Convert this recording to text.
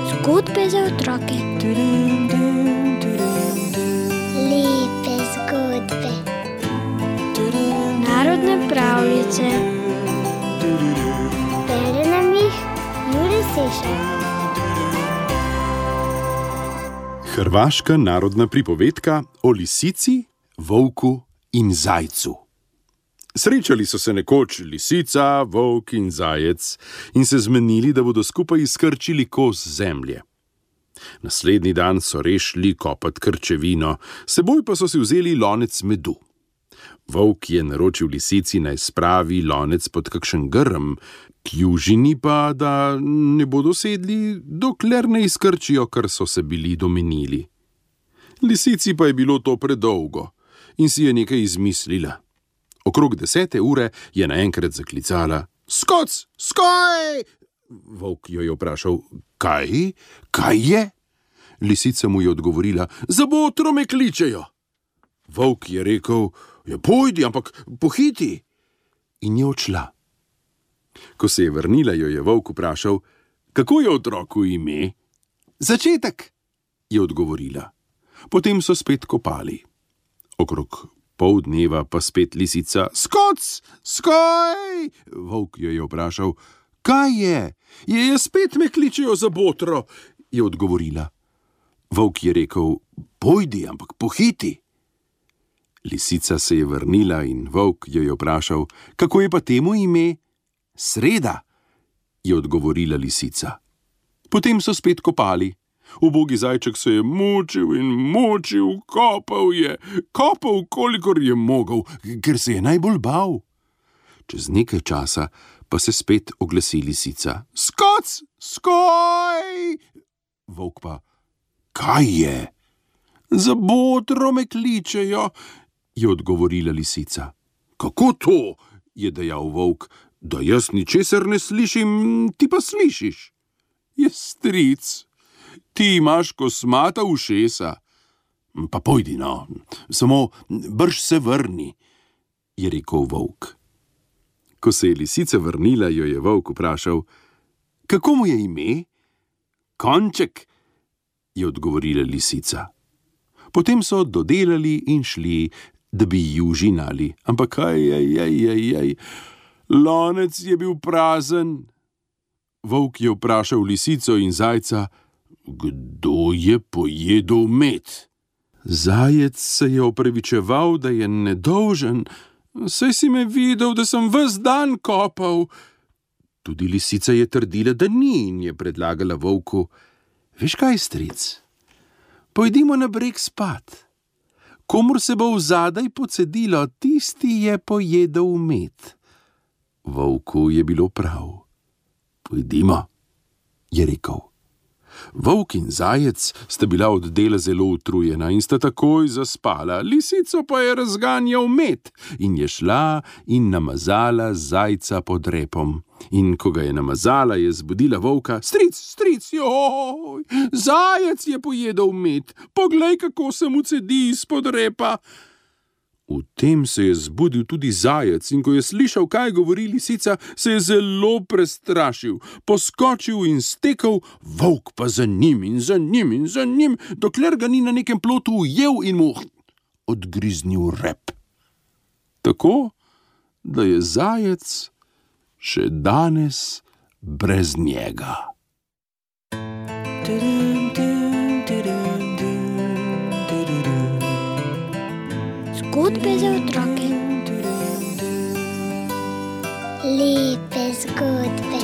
Zgodbe za otroke. Lepe zgodbe. Narodne pravljice. Bere nam jih Jure Sešar. Hrvaška narodna pripovedka o lisici, volku in zajcu. Srečali so se nekoč lisica, volk in zajec in se zmenili, da bodo skupaj izkrčili kos zemlje. Naslednji dan so šli kopat krčevino, seboj pa so si vzeli lonec medu. Volk je naročil lisici, naj spravi lonec pod kakšen grm, kljužini pa, da ne bodo sedli, dokler ne izkrčijo, kar so se bili domenili. Lisici pa je bilo to predolgo in si je nekaj izmislila. Okrog 10. ure je naenkrat zaklicala: "Skoc, skoj!" Volk jo je vprašal: Kaj? Kaj je?" Lisica mu je odgovorila: "Za botro me kličejo." Volk je rekel: "Ja, pojdi, ampak pohiti." In je odšla. Ko se je vrnila, jo je volk vprašal: "Kako je otroku ime?" "Začetek," je odgovorila. Potem so spet kopali. Okrog pol dneva pa spet lisica: "Skoc, skoj!" Volk jo je vprašal: "Kaj je?" "Je, spet me kličejo za botro," je odgovorila. Volk je rekel: "Pojdi, ampak pohiti." Lisica se je vrnila in volk jo je vprašal: "Kako je pa temu ime?" "Sreda," je odgovorila lisica. Potem so spet kopali. Ubogi zajček se je mučil in mučil, kopal, kolikor je mogel, ker se je najbolj bal. Čez nekaj časa pa se spet oglasi lisica: "Skoc, skoj!" Volk pa: "Kaj je?" "Za botro me kličejo," je odgovorila lisica. "Kako to?" je dejal volk. "Da jaz ničesar ne slišim, ti pa slišiš." "Je, stric, ti imaš kosmata ušesa." "Pa pojdi, no, samo brž se vrni," je rekel volk. Ko se je lisica vrnila, jo je volk vprašal: "Kako mu je ime?" "Konček," je odgovorila lisica. Potem so dodelali in šli, da bi ju žinali, ampak lonec je bil prazen. Volk je vprašal lisico in zajca: "Kdo je pojedel med?" Zajec se je opravičeval, da je nedolžen: "Saj si me videl, da sem ves dan kopal." Tudi lisica je trdila, da ni, in je predlagala volku: "Veš kaj, stric, pojdimo na breg spat. Komur se bo vzadaj pocedilo, tisti je pojedel med." Volku je bilo prav. "Pojdimo," je rekel. Volk in zajec sta bila od dela zelo utrujena in sta takoj zaspala, lisico pa je razganjal med in je šla in namazala zajca pod repom. In ko ga je namazala, je zbudila volka: Stric, joj, zajec je pojedel med, poglej, kako se mu cedi izpod repa." V tem se je zbudil tudi zajec in ko je slišal, kaj govori lisica, se je zelo prestrašil, poskočil in stekel, volk pa za njim in za njim, dokler ga ni na nekem plotu ujel in mu odgriznil rep. Tako, da je zajec še danes brez njega. Zgodbe za otroke. Lepe zgodbe.